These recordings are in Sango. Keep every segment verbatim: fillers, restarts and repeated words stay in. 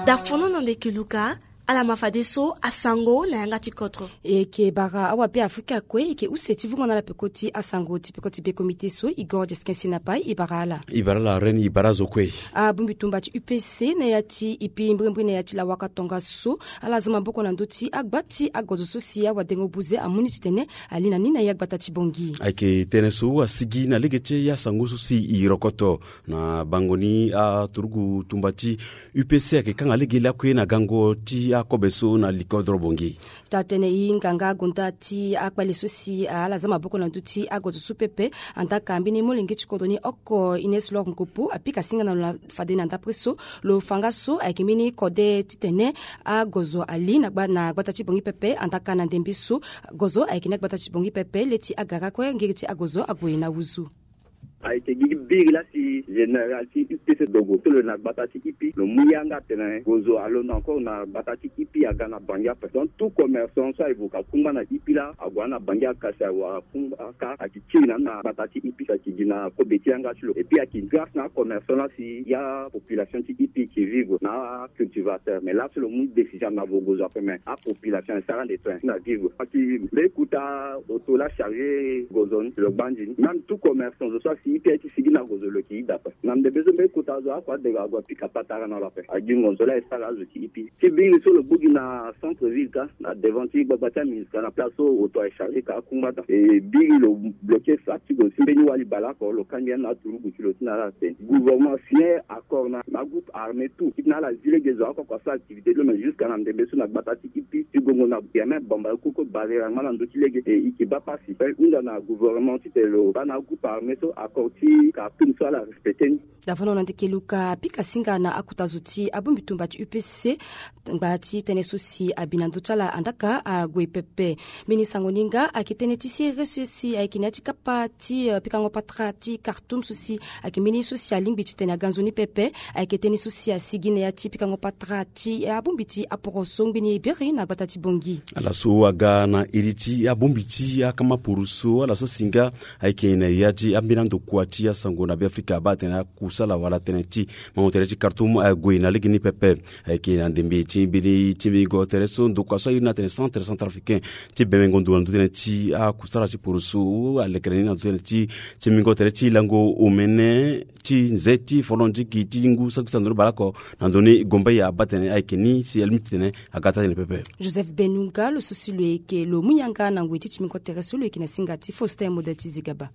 Dafono na ndeke luka. Ala ma fadeso asango na yanga ti kodro. E yeke bara awa Beafrika kue e yeke use ti vungo na ala peko ti asango ti peko ti be komite so Igor Jeskin Sinapai e bara ala. E bara ala Reine, e bara azo kue. Abongbi tumba ti U P C na ya ti ipi mbirimbiri na ya ti lawaka tongaso, ala za maboko na ndö ti agba ti agozo so si awadengo buze amu ni titene ali na ni na ya gbata ti Bangui. Ayeke tënë so asigi na lege ti asango so si e rokoto na bango ni aturugu tumba ti U P C ayeke kanga lege lakue na gango ti akobe so na likodro Bangui. Taa-tënë e hinga nga gonda ti akpale so si ala za maboko na ndö ti agozo so pepe. Andaa ka mbeni molenge ti kodro ni oko Ines Lor Nkopo apika singa na lo na fade na ndapre so lo fa nga so ayeke mbeni kode titene agozo ali na gba, na gbata ti Bangui pepe. Andaa ka na ndembe so gozo ayeke ni agbata ti Bangui pepe, le ti agara kue ngiri ti agozo ague na wuzu. Ayeke gi biri laa si général ti U P C dogo so lo na gbata ti ipi lo mu yanga atene gozo alondo encore na gbata ti ipi aga na Bangui ape. Donc tout commerçant so aye vo ka kungba na ipi laa ague na Bangui akasi awara kungba aka ayeke kiri na ni na gbata ti ipi so ayeke gi na kobe ti yanga ti lo. Et puis ayeke grâce na acommerçant laa si ya population ti ipi ki vivre na acultivateur. Mais laa so lo mu décision na vo gozo ape, mais apopulation e sara nde tren si na vivre. Ayeke mbeni kota oto laa chargé gozo ni lo gbandi ni. Même tout commerçant zo so asi ipi aye ti sigi na gozo lo yeke ida ape. Na ndembe so mbeni kota zo ako adega ague apika patara na lo ape. Agi ngonzo laa e sara azo ti ipi ti biri so lo gbu gi na centre ville ka na devant ti gbagba ti aministre na place so oto aye chargé ka akungba daa. E biri lo bloqué sac ti gozo ti mbeni wali baleoko lo kangbi ya na aturugu ti lo ti na ala tene. Gouvernement signé accord na agroupe armé tout ti na ala zi lege zo ako ako asara activité ti lo, mais jusqu'à na ndembe so na gbata ti ipi ti gongo na bien même bamba e koko barrière angba na ndö ti lege e yeke baa pasi. Pe hunda na gouvernement titene lo baa na agroupe armé so accord ti Khartoum so ala respecté ni. Dafono na ndeke luka apika singa na akota zo ti abongbi tumba ti U P C ngba ti tënë so si abi na ndö ti ala andaa ka ague pepe. Mbeni sango ni nga ayeke tënë ti sere so si ayeke na ya ti kapa ti, eh, pikango patara ti Khartoum so si ayeke mbeni so si alingbi titene aga nzoni pepe. Ayeke tënë so si asigi na ya ti pikango patara ti, eh, abongbi ti aporoso ngbeni e biri na gbata ti Bangui. Ala so aga na iri ti abongbi ti akama poroso, ala so si nga ayeke na ya ti ambeni andokua ti asango na Beafrika abaa atene akusala wala tënë ti mango tere ti Khartoum ague na lege ni pepe. Ayeke na ndembe ti mbeni ti mbingo tere so ndokua so airi ni atene Centre Centrafricain ti bemengo ndo na ndö tënë ti akusala ti poroso alekere ni na ndö tënë ti ti mbingo tere ti lango omene ti nze ti folondiki ti ngu saki sandoni baleoko na ndö ni gombe ya abaa atene ayeke ni si alingbi titene aga taa-tënë pepe. Joseph Benunga lo so si lo yeke lo mu yanga na ngoi ti ti mbingo tere so lo yeke na singa ti Faustin Modèle ti Zigaba.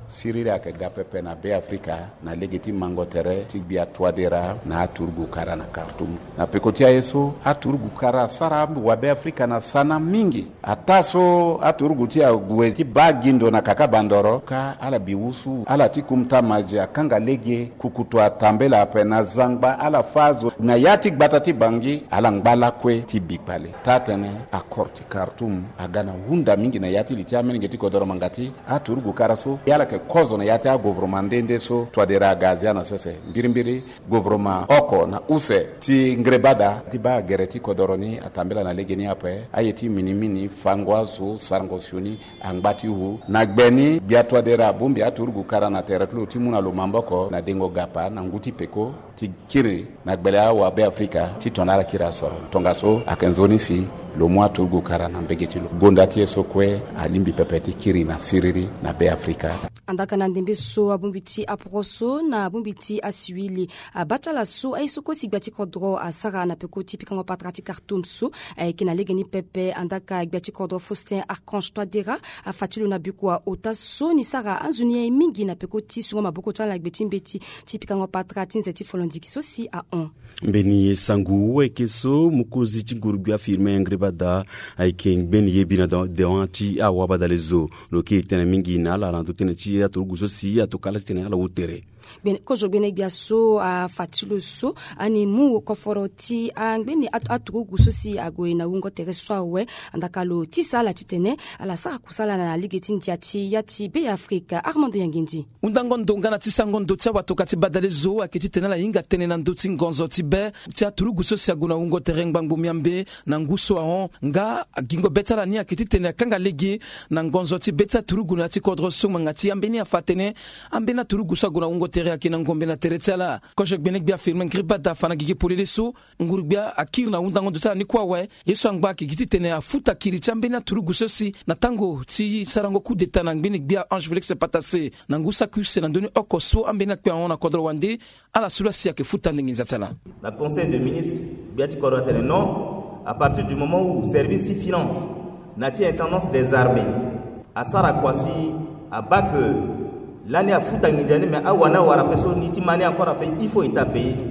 Siriri ayeke ga pepe na Beafrika na lege ti mango tere ti gbia Touadéra na aturugu kara na Khartoum. Na peko ti aye so aturugu kara asara wabeafrika na sana mingi. Ataa so aturugu ti ague ti baa gi ndo na kaka bandoro ka ala bi wusu ala ti kumta mazi akanga lege kukutu atambela ape na zangba ala fâ azo na ya ti gbata ti Bangui ala ngba lakue ti bi kpale. Taa-tënë accord ti Khartoum aga na hunda mingi na ya ti li ti amolenge ti kodoro mangati. Aturugu kara so ala yeke kozo na ya ti agouvernement nde nde so Touadéra aga azia na sese mbirimbiri. Gouvernement oko na use ti ngreba daa ti baa gere ti kodoro ni atambela na legeni ape. Aye ti minimini fango azo sarango sioni angba ti hu na gbe ni gbia Touadéra abongbi aturugu kara na tere ti lo ti mu na lo maboko na dengo gapa na ngu ti peko ti kiri na gbele awabeafrika ti tongana ala kiri asoro. Tongaso ayeke nzoni si lo mu aturugu kara na mbege ti lo. Gonda ti e so kue alingbi pepe ti kiri na siriri na Beafrika. Andaa ka na ndembe so abongbi ti aporoso na abongbi ti asiwili abaa ti ala so aye so kue si gbia ti kodro asara na peko ti pikango patara ti Khartoum so ayeke na legeni pepe. Andaa ka gbia ti kodro Faustin Archange Touadéra afa ti lo na bikua ota so ni sara anzoni aye mingi na peko ti sungo maboko ti ala na gbe ti mbeti ti pikango patara ti nze ti folondiki so si ahon. Mbeni sango ayeke so mokonzi ti nguru-gbia Firmin Ngreba daa ayeke ngbeni ye bi na dewan ti awabadale zo. Lo yeke tene mingi na ala na ndö tënë ti aturugu so si atokua ala titene ala wu tere. Gbene kozo gbene gbia so afa ti lo so ani mu koforo ti angbeni aturugu so si ague na wungo tere so awe. Andaa ka lo tisa ala titene ala sara kusala na lege ti ndia ti ya ti Beafrika. Armando Yangendi. Hundango ndo nga na tisango ndo ti awatoka ti badale zo ayeke titene ala hinga tënë na ndö ti ngonzo ti be ti aturugu so si ague na wungo tere ngbangbo miambe na ngu so ahon. Nga agingo be ti ala ni ayeke titene akanga lege na ngonzo ti be ti aturugu na ya ti kodro so ngbanga ti ambeni afa atene ambeni aturugu so ague na wungo tere ayeke na ngombe na tere ti ala. Kozo gbene gbia firmin gribada afa na gigi polele so nguru gbia akiri na hundango ndo ti ala ni kue awe. Ye so angba ayeke gi titene afuta kiri ti ambeni aturugu so si na tango ti sarango coup d'état na ngbene gbia Ange Félix Patassé na ngu saki use na ndö ni oko so ambeni akpe ahon na kodro wande. Ala so la si ayeke futa nde nginza ti ala. Na conseil de ministre, gbia ti kodro atene non, à partir du moment où service ti finance na ti intendance des armées asara kua si abaa ke lani afuta nginza ni, mais awa ni awara ape so ni ti ma ni encore ape, il faut état payer ni.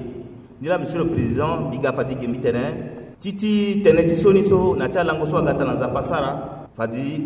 Ni la, monsieur le président, mbi ga fade ke mbi tene ti ti tënë ti so ni so na ti alango so aga ata na Nzapa asara, fade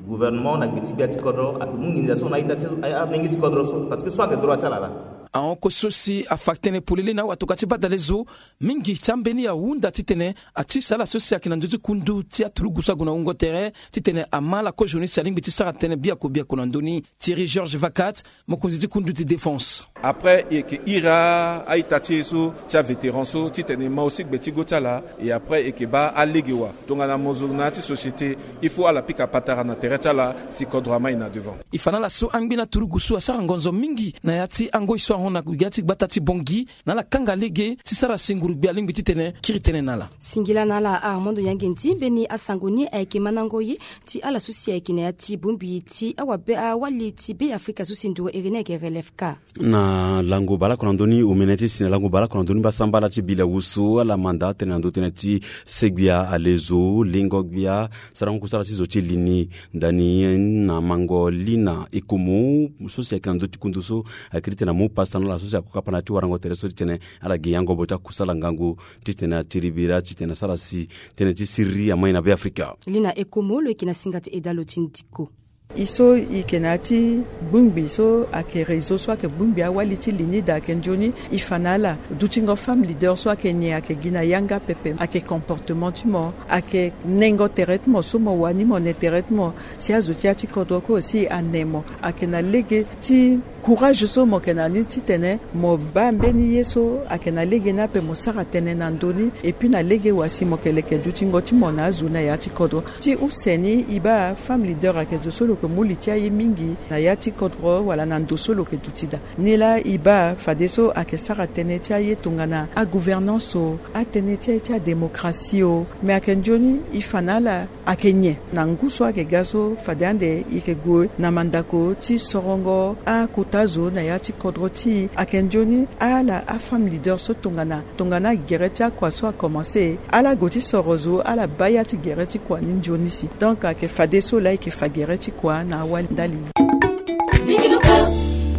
gouvernement na gbe ti gbia ti kodro ayeke mu nginza so na a-ita ti amenge ti kodro so, parce que so ayeke droit ti ala laa. Ahon kosi so si afa tënë polele na awatoka ti badale zo mingi ti ambeni ahunda titene atisa ala so si ayeke na ndö ti kundu ti aturugu so ague na wungo tere titene ama ala kozo ni si alingbi ti sara tënë biako biako na ndö ni. Thierry Georges Vacat, mokonzi ti kundu ti défense. Après e yeke iri a-ita ti e so ti avétéran so titene e ma aussi gbe ti go ti ala. Et après e yeke baa alege wa tongana mo zo na ya ti société, il faut ala pika patara na tere ti ala si kodro amai na devant. E fa na ala so angbi na turugu so asara ngonzo mingi na ya ti angoi so ahon na ya ti gbata ti Bangui na ala kanga lege ti sara si nguru gbia alingbi titene kiri tënë na ala. Singila na ala Armando Yangendi, mbeni asango ni ayeke mandango ye ti ala so si ayeke na ya ti bongbi ti awabe awali ti Be Afrika so si nduru iri ni ayeke Relève K. Na lango baleoko na ndö ni omene ti si na lango baleoko na ndö ni mbasambala ti bila wusu ala manda tënë na ndö tënë ti segbia alezo lingo gbia sarango kusala ti zo ti li ni. Ndani na mango Lina Ekomo so si ayeke na ndö ti kundu so akiri titene amu pasa na ala so si akokapa na ya ti warango tere so titene ala gi yangobo ti akusala ngangu titene atiri bira titene asara si tënë ti siriri amai na Be Afrika. Lina Ekomo lo yeke na singa ti eda lo ti ndiko. E so e yeke na ya ti bongbi so ayeke réseau so ayeke bongbi awali ti li ni daa ayeke nzoni. E fa na ala dutingo femme leader so ayeke nyen ayeke gi na yanga pepe, ayeke comportement ti mo, ayeke nengo tere ti mo so mo wani mo ne tere ti mo si azo ti ya ti kodro kue aussi ane mo. Ayeke na lege ti courage so mo yeke na ni titene mo baa mbeni ye so ayeke na lege ni ape mo sara tënë na ndö ni. Et puis na lege wa si mo yeke leke dutingo ti mo na azo na ya ti kodro. Ti use ni e baa femme leader ayeke zo so lo yeke mu li ti aye mingi na ya ti kodro wala na ndo so lo yeke duti daa. Ni laa e baa fadeso ayeke sara tënë ti aye tongana agouvernance o, atënë ti aye ti adémocratie o. Me ayeke nzoni e fa na ala ayeke nyen na ngu so ayeke ga so fade ande e yeke gue na mandako ti sorongo akota zo na ya ti kodro ti e. Ayeke nzoni ala afemme leader so tongana tongana agere ti akua so akomanse ala gue ti soro zo ala baa ya ti gere ti kua ni nzoni si. Donc ayeke fadeso laa e yeke fa gere ti kua na awali ndali.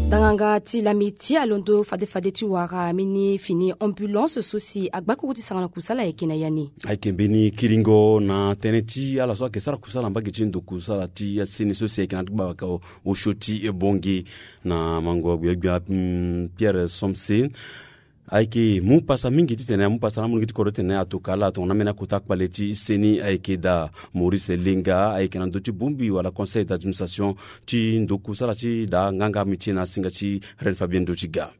Danganga ti lami ti alondo fade fade ti wara mbeni fini ambulance so si agbakuru ti sangana kusala ayeke na ya ni. Ayeke mbeni kiringo na tënë ti ala so ayeke sara kusala mbage ti ndo kusala ti aseni so si ayeke na ti gbabaka osio ti bongi na mango gbia gbia Pierre Somse. Ayeke mu pasa mingi titene amu pasa na amunigi ti kodro titene atoka ala tongana ambeni akota kpale ti seni ayeke daa. Maurice Lenga ayeke na ndö ti bongbi wala conseil d'administration ti ndo kusala ti daa nganga miti na asinga ti Reine Fabienne Ndotiga.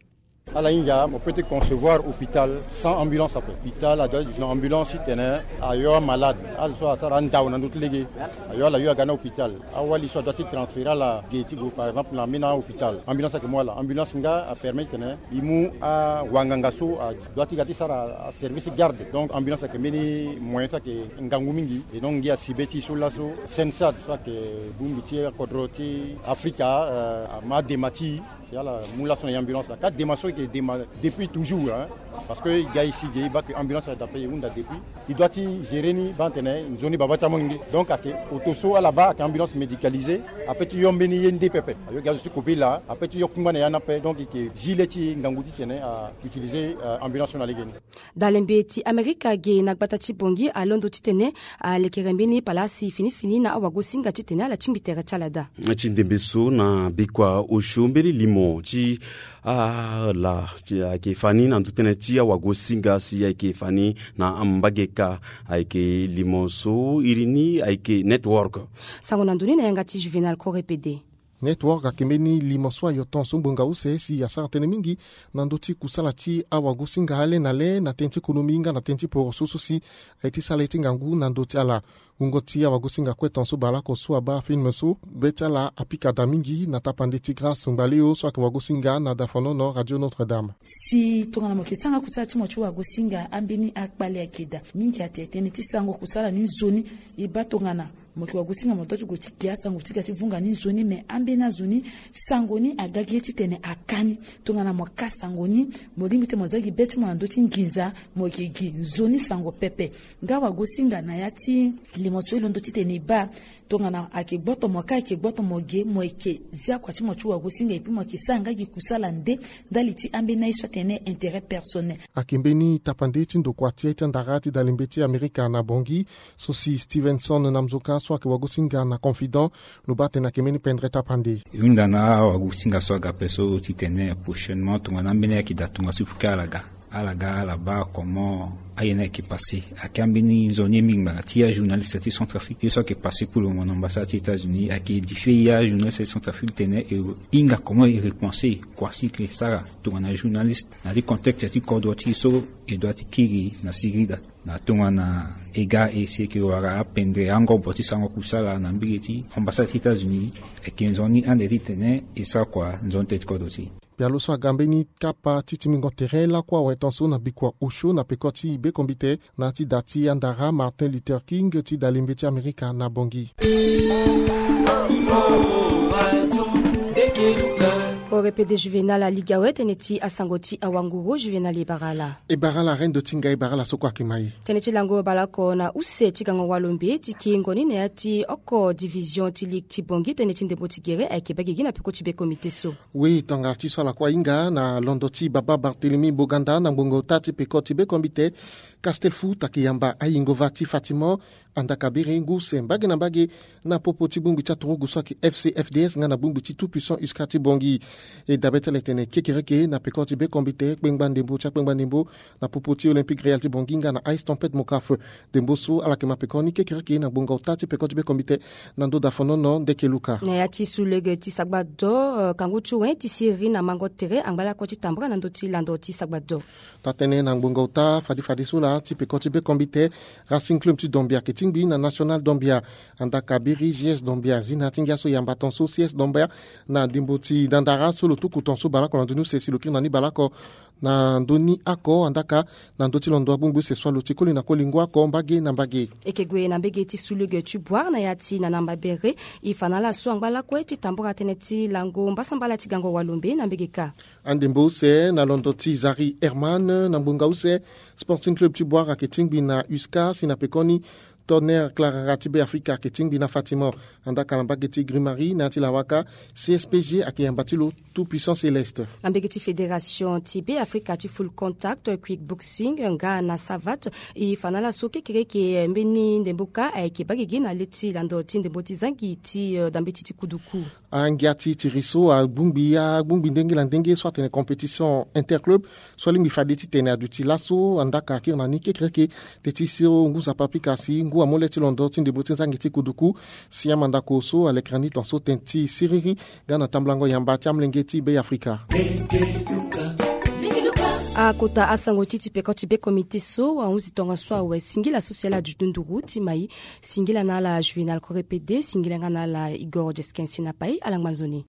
Ala hinga mo peut ti concevoir hôpital sans ambulance ape. Hôpital adoit ti na ambulance titene ayo amalade azo so asara andao na ndö ti lege. Ayo ala yo aga na hôpital awali so adoit ti transférer ala ge ti gue par exemple na ambeni ahôpital ambulance ayeke mu ala ambulance nga apermet titene e mu awanganga so adoit ti ga ti sara aservice garde. Donc ambulance ayeke mbeni moyen so ayeke ngangu mingi. Et donc ngia si be ti e so laso sensad so ayeke bongbi ti akodro ti afrika ama dema ti e. Si ala mu laso na e ambulance la ka dema so e yeke dema depuis toujours hein. Parce que e ga e si ge e baa ke ambulance la d'après e hunda depuis e doit ti gérer ni baa tene nzoni baba ti amolenge. Donc ayeke auto so ala baa ayeke ambulance médicalisée. Ape ti yo mbeni ye nde pepe ayo ge azo ti kobe laa ape ti yo kungba na ya ni ape donc e yeke zi le ti e ngangu titene a utiliser ambulance so na legeni. Dalembe ti amerika ge na gbata ti bongi alondo titene alekere mbeni palasi fini fini na awagosinga titene ala tingbi tere ti ala daa. Ti ndembe so na bikua osio mbeni limo ti ala ti ayeke fa ni na ndö tënë ti awagosinga si ayeke fa ni na mbage ka. Ayeke limo so iri ni ayeke network. Sango na ndoni na yanga ti juvénal kore pede. Network akembe ni limo so ayo ton so ngbonga use si asara tënë mingi na ndö ti kusala ti awagosinga ale na le na tënë ti ekonomi nga na tënë ti poroso so si aye ti sara ye ti ngangu na ndö ti ala. Wungo ti awagosinga kue ton so baleoko so abaa film so be ti ala apika da mingi na tapande ti Grâce Ngbaleo so ayeke wagosinga na dafonono Radio Notre Dame. Si tongana mo yeke sara kusala ti mo ti wagosinga ambeni akpale ayeke daa mingi atene tënë ti sarango kusala ni nzoni. E baa tongana mo yeke wagosinga mo dua ti gue ti gi asango ti ga ti vunga ni nzoni me ambeni azo ni sango ni aga gi ye titene aka ni. Tongana mo ka sango ni mo lingbi ti mo za gi be ti mo na ndö ti nginza mo yeke gi nzoni sango pepe. Nga wagosinga na ya ti limo so e londo titene e baa tongana ayeke gboto mo ka ayeke gboto mo ge mo yeke zia kua ti mo ti wagosinga epui mo yeke sara nga gi kusala nde ndali ti ambeni aye so atene intérêt personnel. Ayeke mbeni tapande ti ndokua ti aye ti andara ti dalembe ti Amerika na Bangui so si Stevenson na Mzoka so ayeke wagosinga na Confident. Lo baa atene ayeke mbeni pendere tapande. E hunda na awagosinga so aga ape so titene prochainement tongana ambeni aye ayeke daa tongaso il faut que ala ga ala ga ala baa comment aye ni ayeke passé. Ayeke ambeni nzoni ye mingi ngbanga ti ajournaliste ti Centrafrique ye so ayeke passé pour le moment na ambassade ti États-Unis ayeke édifié ye ajournaliste ti Centrafrique tene e hinga comment e repenser kua si e yeke sara tongana journaliste na ya ti contexte ti kodro ti e so e dua ti kiri na sirida. Na tongana e ga e si e yeke wara apendere angobo ti sarango kusala na mbege ti ambassade ti États-Unis ayeke nzoni ande titene e sara kua nzoni tënë ti kodro ti e. Pialo so aga mbeni kapa ti tingbingo tere lakue awe ton so na bikua osio na peko ti bekombite na ya ti da ti andara Martin Luther King ti dalembe ti Amerika na Bangui. Korepede Juvénal aligi awe tënë ti asango ti awanguru. Juvénal e bara ala. E bara ala rendo ti ngai, e bara ala so kue ayeke ma e. Tënë ti lango baleoko na use ti gango walombe ti kengo ni na ya ti oko division ti ligue ti Bangui tënë ti ndembo ti gere ayeke baa gigi na peko ti bekombite so. Oui, tongana ti so ala kue ahinga na londo ti baba Barthélemy Boganda na ngbonga ota ti peko ti bekombite. Castel Foot ayeke yamba ayingo va ti Fatimont, Andaka Biri, ngu use mbage na mbage na popo ti bongbi ti aturugu so ayeke F C F D S nga na bongbi ti Tout Puissant Uscat ti Bangui. E dabe ti ala e tene kekereke na peko ti bekombite kpengba ndembo ti akpengba ndembo na popo ti Olympique Real ti Bangui nga na Ice Tempête Mocaf. Ndembo so ala yeke ma peko ni kekereke na ngbonga ota ti peko ti bekombite na ndö dafonono ndeke luka. Na ya ti sulege ti sagba do, eh, kangu ti wen ti siriri na mango tere angba lakue ti tambara na ndö ti lando ti sagba do. Taa-tënë na ngbonga ota fade fade so laa ti peko ti bekombite, Racing Club ti Dombia ayeke tingbi na National Dombia. Andaka Biri, G S Dombia zi na ya ti ngia so yamba ton so C S Dombia na ndembo ti dandara so lo tuku ton so baleoko na ndö ni use si lo kiri na ni baleoko na ndö ni oko. Andaka na ndö ti londo abongbi use so alo ti koli na koli ngu oko mbage na mbage. E yeke gue na mbage ti sulege ti Bouar na ya ti Nanamba Béré. E fa na ala so angba lakue ti tambara tënë ti lango mbasambala ti gango walombe na mbage kâ. Andembo use na londo ti Zari Herman na ngbonga use, Sporting Club ti Bouar ayeke tingbi na Uscat si na pekoni Tonnerre Clarara ti Beafrika ayeke tingbi na Fatimont. Andaka na mbage ti Grimari na ya ti lawaka, C S P G ayeke yamba ti lo Tout Puissant Céleste. Na mbage ti Fédération ti Beafrika ti full contact, quick boxing nga na savate, e fa na ala so kekereke mbeni ndembo kâ ayeke baa gigi na le ti lando ti ndembo ti zangi ti, eh, dambeti ti kuduku. Angia ti tiri so agbongbi agbongbi ndenge na ndenge so atene compétition interclub so alingbi fade titene aduti laso. Andaka akiri na ni kekereke teti so ngu nzapa apika si ngu amu le ti londo ti ndembo ti zangi ti kuduku. Si amandako so alekere ni ton so teti siriri nga na tambulango yamba ti amolenge ti Beafrika. Akota asango ti ti peko ti bekomite so ahunzi tongaso awe. Singila so si ala duti nduru ti mai. Singila na ala Juvénal Korepede, singila nga na ala Igor Jeskensi na pai. Ala ngba nzoni.